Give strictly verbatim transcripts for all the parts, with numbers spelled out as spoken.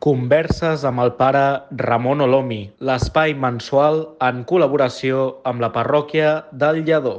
Converses amb el pare Ramon Olomi, l'espai mensual en col·laboració amb la parròquia del Lledó.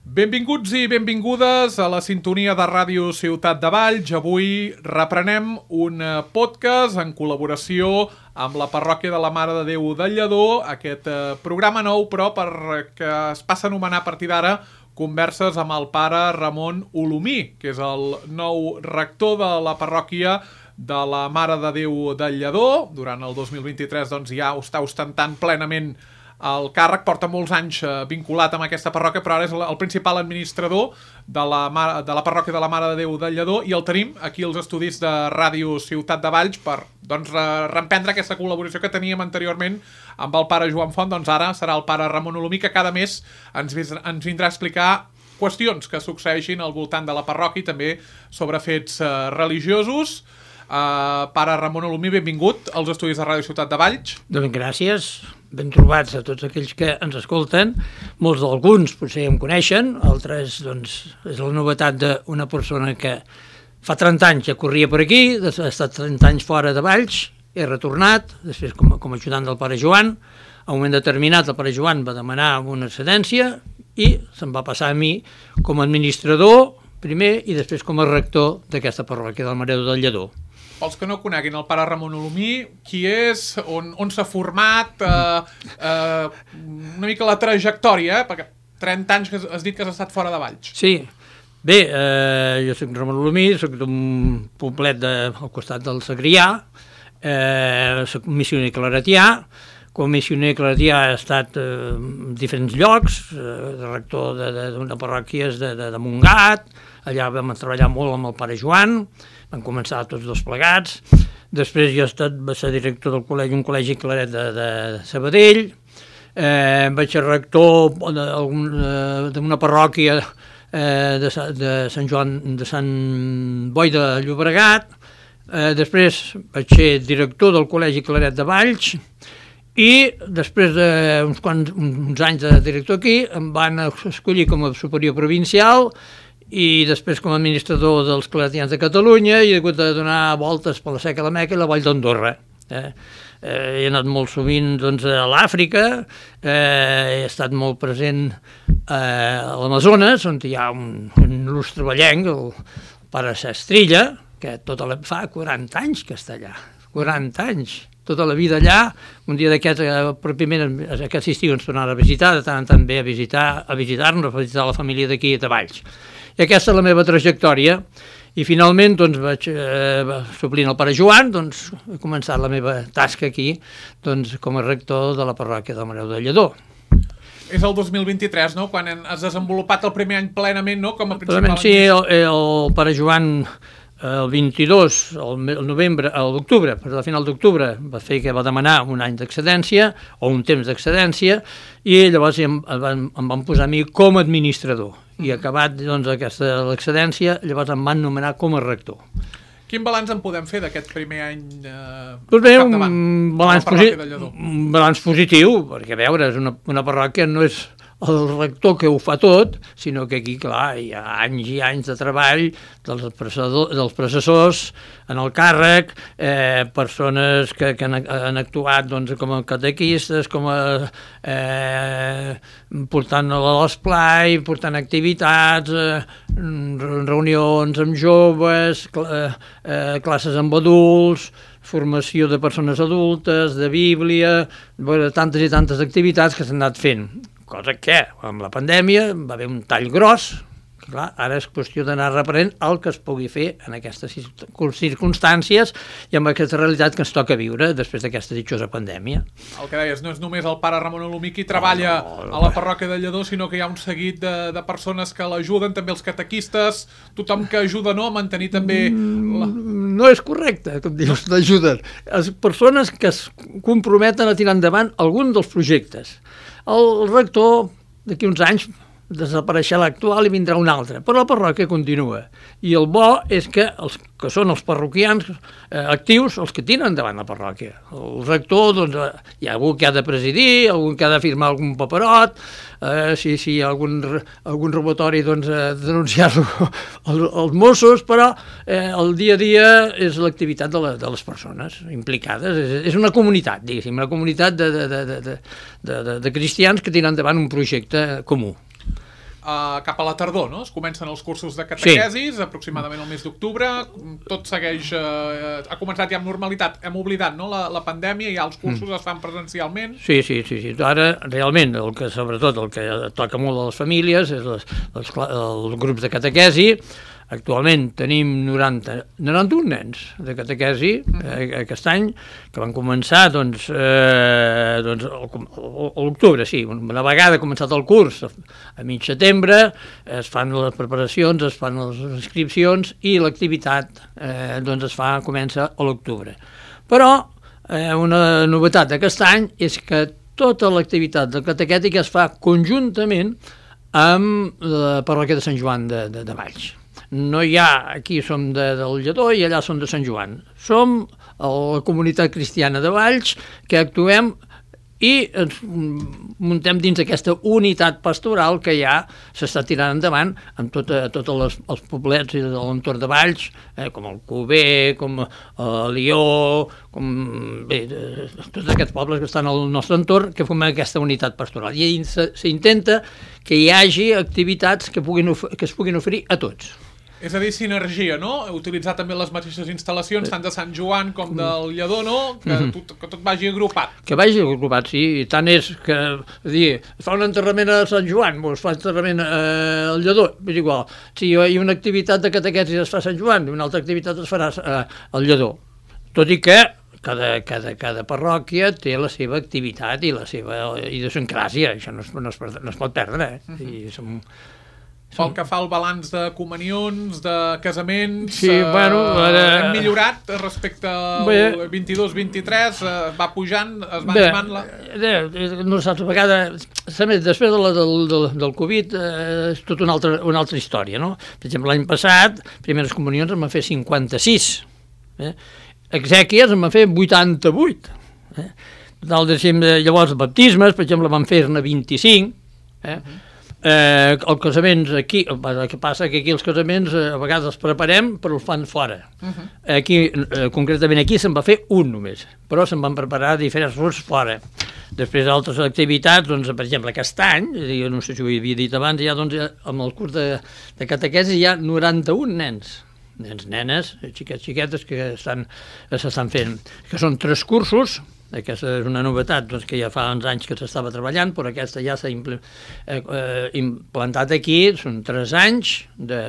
Benvinguts i benvingudes a la sintonia de Ràdio Ciutat de Valls. Avui reprenem un podcast en col·laboració amb la parròquia de la Mare de Déu del Lledó. Aquest programa nou, però, perquè es passa a anomenar a partir d'ara Converses amb el pare Ramon Olomí, que és el nou rector de la parròquia de la Mare de Déu del Lledó. Durant el dos mil vint-i-tres doncs, ja està ostentant plenament el càrrec, porta molts anys vinculat amb aquesta parròquia, però ara és el principal administrador de la, de la parròquia de la Mare de Déu del Lledó, i el tenim aquí als estudis de Ràdio Ciutat de Valls per doncs, reemprendre aquesta col·laboració que teníem anteriorment amb el pare Joan Font. Doncs ara serà el pare Ramon Olomí, que cada mes ens, ens vindrà a explicar qüestions que succeeixin al voltant de la parròquia i també sobre fets uh, religiosos. Uh, pare Ramon Olomí, benvingut als estudis de Ràdio Ciutat de Valls. Doncs gràcies, ben trobats a tots aquells que ens escolten. Molts d'alguns potser em coneixen, altres doncs, és la novetat d'una persona que fa trenta anys ja corria per aquí, ha estat trenta anys fora de Valls, he retornat, després com, com a ajudant del pare Joan. A un moment determinat el pare Joan va demanar una excedència i se'm va passar a mi com a administrador primer i després com a rector d'aquesta parròquia del Mare de Déu del Lledó. Pels que no coneguin el pare Ramon Olomí, qui és, on, on s'ha format, eh, eh, una mica la trajectòria, eh? Perquè trenta anys que has dit que has estat fora de Valls. Sí, bé, eh, jo soc Ramon Olomí, soc d'un poblet de, al costat del Segrià, eh, soc missioner claretià. Com a missioner claretià he estat eh, en diferents llocs, eh, de rector d'una parròquia de, de, de Montgat, allà vam treballar molt amb el pare Joan, van començar tots dos plegats. Després jo he estat, va ser director del col·legi, un col·legi claret de, de Sabadell, eh, vaig ser rector d'una parròquia eh, de, de Sant Joan, de Sant Boi de Llobregat, eh, després vaig ser director del col·legi claret de Valls, i després d'uns quants uns anys de director aquí em van escollir com a superior provincial i després com a administrador dels claretians de Catalunya, i he hagut de donar voltes per la Seca, la Meca i la Vall d'Andorra. Eh? Eh, he anat molt sovint doncs, a l'Àfrica, eh, he estat molt present eh, a l'Amazones, on hi ha un, un il·lustre ballenc, el pare Sestrilla, que tota la, fa quaranta anys que està allà, quaranta anys. Tota la vida allà. Un dia d'aquest, pròpiament aquest estiu ens tornarà a visitar, de tant en tant ve a visitar, a visitar-nos, a visitar la família d'aquí de Valls. I aquesta és la meva trajectòria. I finalment, doncs, vaig, eh, suplint el pare Joan, doncs, he començat la meva tasca aquí, doncs, com a rector de la parròquia del Mare de Déu del Lledó. És el dos mil vint-i-tres, no?, quan has desenvolupat el primer any plenament, no?, com a principal... Sí, el, el pare Joan... El vint-i-dos, el novembre, l'octubre, per la final d'octubre, va fer que va demanar un any d'excedència o un temps d'excedència, i llavors em, em, em van posar a mi com a administrador. I acabat doncs, aquesta l'excedència, llavors em van nomenar com a rector. Quin balanç en podem fer d'aquest primer any eh, doncs bé, un balanç, posi un balanç positiu, perquè a veure, és una, una parròquia no és el rector que ho fa tot, sinó que aquí, clar, hi ha anys i anys de treball dels, dels processors en el càrrec, eh, persones que, que han, han actuat doncs, com a catequistes, com a eh, portant a l'esplai, portant activitats, eh, reunions amb joves, cl eh, classes amb adults, formació de persones adultes, de Bíblia, tantes i tantes activitats que s'han anat fent. Cosa que, amb la pandèmia, va haver un tall gros, que clar, ara és qüestió d'anar reprenent el que es pugui fer en aquestes circumstàncies i amb aquesta realitat que ens toca viure després d'aquesta ditjosa pandèmia. El que deies, no és només el pare Ramon Olomí qui treballa no, no, no, a la parròquia de Lledó, sinó que hi ha un seguit de, de persones que l'ajuden, també els catequistes, tothom que ajuda, no?, a mantenir també... La... No és correcte, com dius, l'ajuden. Les persones que es comprometen a tirar endavant algun dels projectes. El rector, d'aquí uns anys, desapareixerà l'actual i vindrà un altre, però la parròquia continua. I el bo és que els que són els parroquians eh, actius, els que tiren endavant la parròquia. El rector, doncs, eh, hi ha algú que ha de presidir, algú que ha de firmar algun paperot, eh, si, si hi ha algun, algun robatori, doncs, eh, denunciar-lo als, als Mossos, però eh, el dia a dia és l'activitat de, la, de les persones implicades. És, és una comunitat, diguéssim, una comunitat de, de, de, de, de, de, de cristians que tiren endavant un projecte comú. Uh, cap a la tardor, no? Es comencen els cursos de catequesis, sí. Aproximadament el mes d'octubre, tot segueix, uh, ha començat ja amb normalitat, hem oblidat, no?, la, la pandèmia, i ja els cursos mm. es fan presencialment. Sí, sí, sí, sí, ara realment, el que, sobretot el que toca molt a les famílies és les, les, els grups de catequesi. Actualment tenim noranta, noranta-un nens de catequesi eh, aquest any, que van començar doncs, eh, doncs, a l'octubre, sí, una vegada començat el curs, a mig setembre, es fan les preparacions, es fan les inscripcions i l'activitat eh, doncs es fa, comença a l'octubre. Però eh, una novetat d'aquest any és que tota l'activitat de catequètica es fa conjuntament amb la parròquia de Sant Joan de, de, de Valls. No hi ha, aquí som de, del Lledó i allà som de Sant Joan. Som la comunitat cristiana de Valls que actuem i ens muntem dins d'aquesta unitat pastoral que ja s'està tirant endavant amb tots tot les, els poblets de l'entorn de Valls, eh, com el Cover, com el Lió, com bé, tots aquests pobles que estan al nostre entorn, que formen aquesta unitat pastoral. I s'intenta que hi hagi activitats que, puguin, que es puguin oferir a tots. És a dir, sinergia, no? Utilitzar també les mateixes instal·lacions, tant de Sant Joan com del Lledó, no? Que, mm-hmm. tot, que tot vagi agrupat. Que vagi agrupat, sí. I tant és que, és dir, es fa un enterrament a Sant Joan, o es fa un enterrament eh, al Lledó, és igual. Si hi ha una activitat de catequesis es fa a Sant Joan, i una altra activitat es farà eh, al Lledó. Tot i que cada, cada, cada parròquia té la seva activitat i la seva idiosincràsia, això no es, no es, no es pot perdre, eh? Mm-hmm. I som... Pel que fa al balanç de comunions, de casaments, sí, eh, bueno, ara... hem millorat respecte al vint-i-dos vint-i-tres, eh, va pujant, es va animant la... Bé, no saps, a vegades, després de la, del, del, del Covid, eh, és tota una altra, una altra història, no? Per exemple, l'any passat, primeres comunions em van fer cinquanta-sis, eh? Exèquies em van fer vuitanta-vuit, eh? Llavors, baptismes, per exemple, van fer-ne vint-i-cinc, eh? Uh-huh. Eh, els casaments aquí, el que passa que aquí els casaments eh, a vegades els preparem però els fan fora. Uh-huh. Aquí, eh, concretament aquí se'n va fer un només, però se'n van preparar diferents grups fora. Després altres activitats, doncs, per exemple, aquest any, no sé si ho havia dit abans, ja, doncs, amb el curs de, de catequesi hi ha noranta-un nens, nens, nenes, xiquets, xiquetes que s'estan fent, que són tres cursos. Aquesta és una novetat doncs, que ja fa uns anys que s'estava treballant, però aquesta ja s'ha impl eh, eh, implantat aquí, són tres anys, de,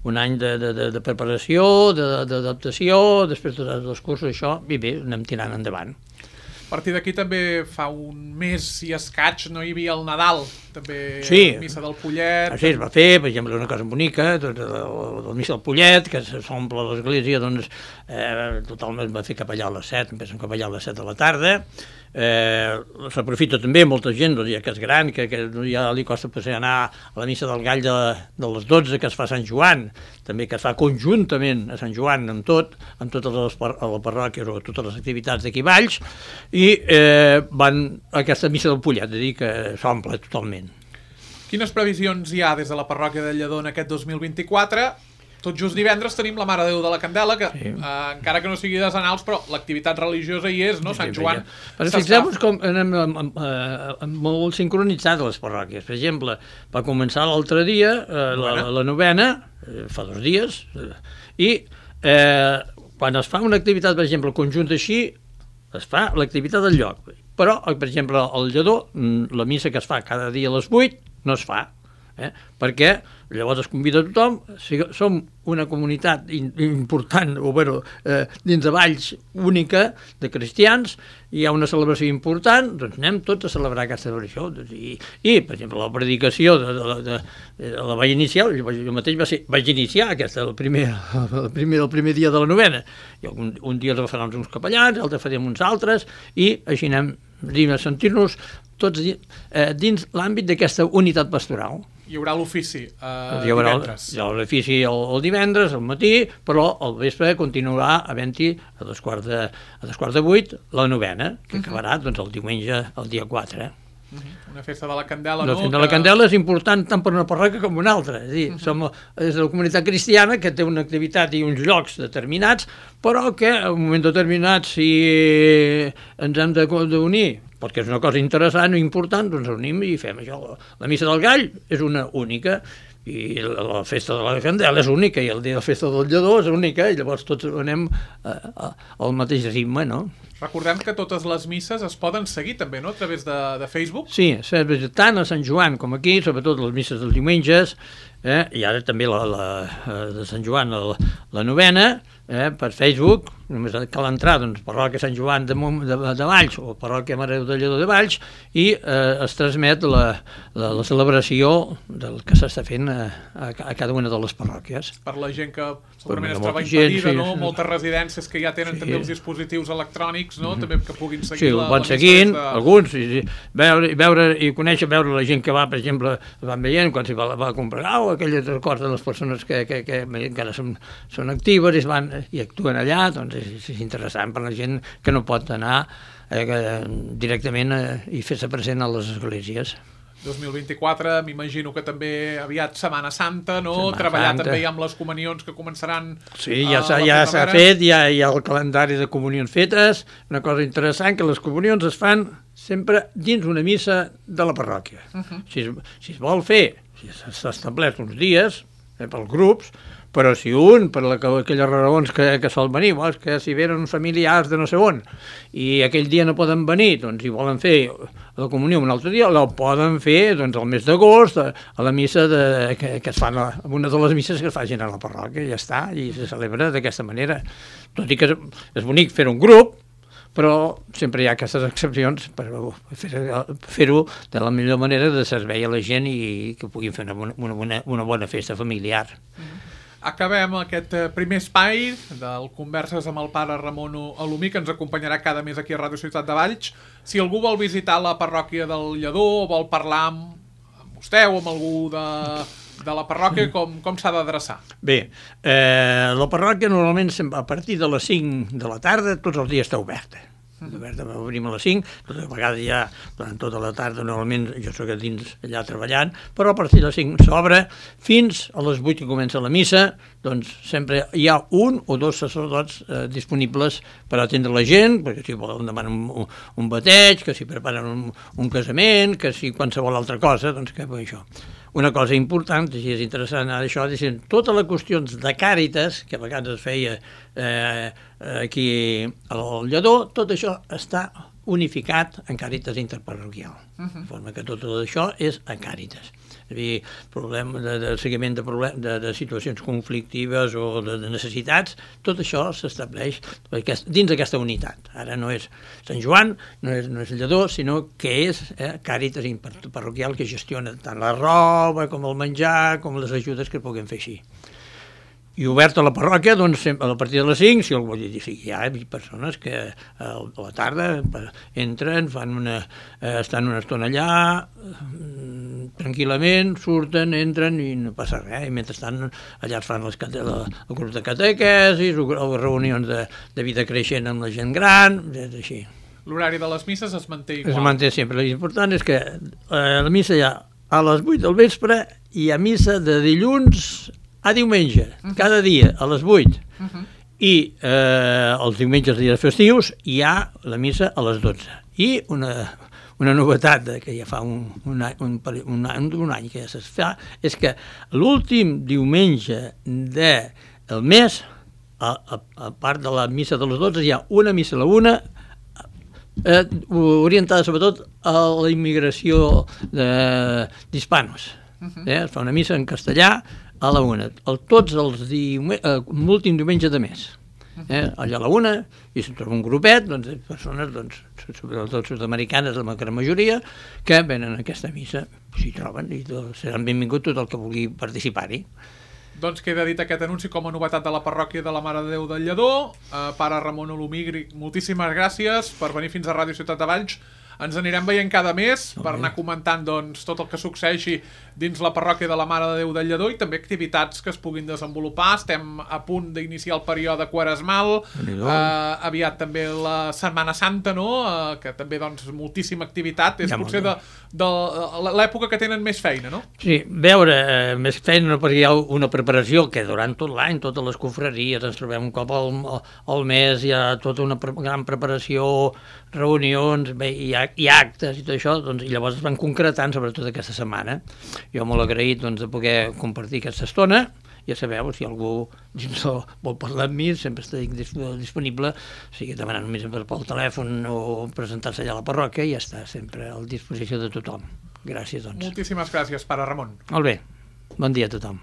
un any de, de, de preparació, d'adaptació, després de dos cursos, això, i bé, anem tirant endavant. A partir d'aquí també fa un mes i escaig no hi havia el Nadal, també sí. La missa del Pollet... Ah, sí, es va fer, per exemple, una cosa bonica, doncs, la missa del Pollet, que s'omple l'església, doncs, eh, totalment va fer capellà a les set, empiecen a capellà a les set de la tarda, eh, s'aprofita també molta gent, doncs, ja que és gran, que, que ja li costa potser anar a la missa del Gall de, de les dotze, que es fa a Sant Joan, també que es fa conjuntament a Sant Joan amb tot, amb totes les, les parròquies o totes les activitats d'aquí Valls, i eh, van a aquesta missa del Pollet, és a dir, que s'omple totalment. Quines previsions hi ha des de la parròquia de Lledó en aquest dos mil vint-i-quatre? Tot just divendres tenim la Mare de Déu de la Candela, que sí. eh, encara que no sigui de Zanals, però l'activitat religiosa hi és, no? Sant Joan... Però fixeu-vos com anem molt sincronitzats les parròquies. Per exemple, va començar l'altre dia eh, la, la novena, eh, fa dos dies, eh, i eh, quan es fa una activitat, per exemple, conjunta així, es fa l'activitat del lloc. Però, per exemple, al Lledó, la missa que es fa cada dia a les vuit no es fa, eh? Perquè llavors es convida a tothom, si som una comunitat important, o bueno, eh, dins de Valls única, de cristians, hi ha una celebració important, doncs anem tots a celebrar aquesta celebració. Doncs, i, I, per exemple, la predicació de, de, de, de, de la vaig iniciar, jo, jo mateix va ser, vaig iniciar aquesta, el primer, el, primer, el primer dia de la novena. I un, un dia els farem uns capellans, l'altre farem uns altres, i així anem a sentir-nos tots eh, dins l'àmbit d'aquesta unitat pastoral. Hi haurà l'ofici eh, hi haurà divendres. Hi haurà l'ofici el, el divendres, al matí, però al vespre continuarà havent-hi a dos quarts de, a dos quarts de vuit la novena, que uh -huh. acabarà doncs, el diumenge, el dia quatre. Uh -huh. Una festa de la Candela, la no? festa de la Candela és important tant per una parròquia com una altra. És a dir, uh -huh. som és la comunitat cristiana que té una activitat i uns llocs determinats, però que en un moment determinat, si ens hem d'unir, perquè és una cosa interessant i important, doncs unim i fem això. La missa del gall és una única, i la festa de la Candela és única, i el dia de la festa del lledó és única, i llavors tots anem al mateix ritme, no? Recordem que totes les misses es poden seguir també, no?, a través de, de Facebook. Sí, tant a Sant Joan com aquí, sobretot les misses dels diumenges, eh? I ara també la, la de Sant Joan, la, la novena, eh? Per Facebook, només cal entrar, doncs, parròquia Sant Joan de, de, de Valls o parròquia Mare de Lledó de Valls, i eh, es transmet la, la, la celebració del que s'està fent a, a, a cada una de les parròquies. Per la gent que segurament es molta troba gent, impedida, sí, no? sí. Moltes residències que ja tenen Sí. també els dispositius electrònics, no? També que puguin seguir Sí, la, ho van la missa seguint, des de... alguns, sí, sí. Veure, veure i conèixer, veure la gent que va, per exemple, van veient quan s'hi va, va comprar, o aquelles records de les persones que, que, que encara són, són actives i, es van, i actuen allà, doncs és, és interessant per la gent que no pot anar eh, que, directament eh, i fer-se present a les esglésies. dos mil vint-i-quatre, m'imagino que també aviat Setmana Santa, no? Setmana Treballar Santa. també amb les comunions que començaran... Sí, ja a s'ha la ja s'ha primavera. fet, ja hi ha el calendari de comunions fetes. Una cosa interessant, que les comunions es fan sempre dins una missa de la parròquia. Uh -huh. si, es, si es vol fer, si s'ha establert uns dies eh, pels grups, però si un, per la, aquelles raons que, que sol venir, és que si venen familiars de no sé on, i aquell dia no poden venir, doncs si volen fer la comunió un altre dia, la poden fer doncs, al mes d'agost, a, a la missa de, que, que es fan, a, una de les misses que es facin a la parròquia, ja està, i se celebra d'aquesta manera. Tot i que és, és bonic fer un grup, però sempre hi ha aquestes excepcions per fer-ho fer de la millor manera de servei a la gent i que puguin fer una, una, bona, una bona festa familiar. Mm. Acabem aquest primer espai del Converses amb el pare Ramon Alumí, que ens acompanyarà cada mes aquí a Ràdio Ciutat de Valls. Si algú vol visitar la parròquia del Lledó o vol parlar amb, amb vostè o amb algú de, de la parròquia, com, com s'ha d'adreçar? Bé, eh, la parròquia normalment a partir de les cinc de la tarda tots els dies està oberta. Oberta, obrim a les cinc, tota vegada ja durant tota la tarda normalment jo soc a dins allà treballant, però a partir de les cinc s'obre fins a les vuit que comença la missa, doncs sempre hi ha un o dos sacerdots eh, disponibles per atendre la gent, perquè si volen demanar un, un bateig, que si preparen un, un casament, que si qualsevol altra cosa, doncs que això. Una cosa important, i és interessant ara això, és totes les qüestions de càritas, que a vegades es feia eh, aquí al Lledó, tot això està unificat en càritas interparroquial. Uh-huh. De forma que tot això és en càritas. És a dir, problema de, de seguiment de, problem, de, de situacions conflictives o de, de necessitats, tot això s'estableix dins d'aquesta unitat. Ara no és Sant Joan, no és, no és Lledó, sinó que és eh, càritas interparroquial que gestiona tant la roba com el menjar, com les ajudes que puguem fer així. I obert a la parròquia, doncs, a partir de les cinc, si algú vol dir, sí, hi ha persones que a la tarda entren, fan una, estan una estona allà, tranquil·lament, surten, entren i no passa res. I mentrestant allà es fan les, la, el grup de catequesis, o reunions de, de vida creixent amb la gent gran, és així. L'horari de les misses es manté igual? Es manté sempre. L'important és que eh, la missa hi ha a les vuit del vespre i hi ha missa de dilluns a diumenge, uh -huh. cada dia, a les vuit. Uh -huh. I eh, els diumenges, dies festius, hi ha la missa a les dotze. I una, una novetat que ja fa un, un, any, un, un, any, un any que ja es fa, és que l'últim diumenge del mes, a, a, a part de la missa de les dotze, hi ha una missa a la una, eh, orientada sobretot a la immigració d'hispanos. Uh-huh. eh, es fa una missa en castellà a la una, el, tots els diume, eh, l'últim diumenge de mes. Eh, allà a la una, i se'n troba un grupet doncs, de persones, doncs, sobretot sud-americanes, la gran majoria, que venen a aquesta missa, s'hi troben, i seran benvinguts tot el que vulgui participar-hi. Doncs queda dit aquest anunci com a novetat de la parròquia de la Mare de Déu del Lledó. Eh, pare Ramon Alumí, moltíssimes gràcies per venir fins a Ràdio Ciutat de Valls ens anirem veient cada mes per anar comentant doncs, tot el que succeeixi dins la parròquia de la Mare de Déu del Lledó i també activitats que es puguin desenvolupar. Estem a punt d'iniciar el període quaresmal, eh, aviat també la Setmana Santa, no? Eh, que també doncs, moltíssima activitat, és ja potser de, de l'època que tenen més feina, no? Sí, veure, eh, més feina perquè hi ha una preparació que durant tot l'any, totes les confraries, ens trobem un cop al, al mes, hi ha tota una pre gran preparació, reunions, bé, i, i actes i tot això, doncs, i llavors es van concretant, sobretot aquesta setmana. Jo molt agraït doncs, de poder compartir aquesta estona. Ja sabeu, si algú vol parlar amb mi, sempre estic disponible, o sigui, demanant només pel telèfon o presentar-se allà a la parròquia i ja està, sempre a disposició de tothom. Gràcies, doncs. Moltíssimes gràcies, pare Ramon. Molt bé, bon dia a tothom.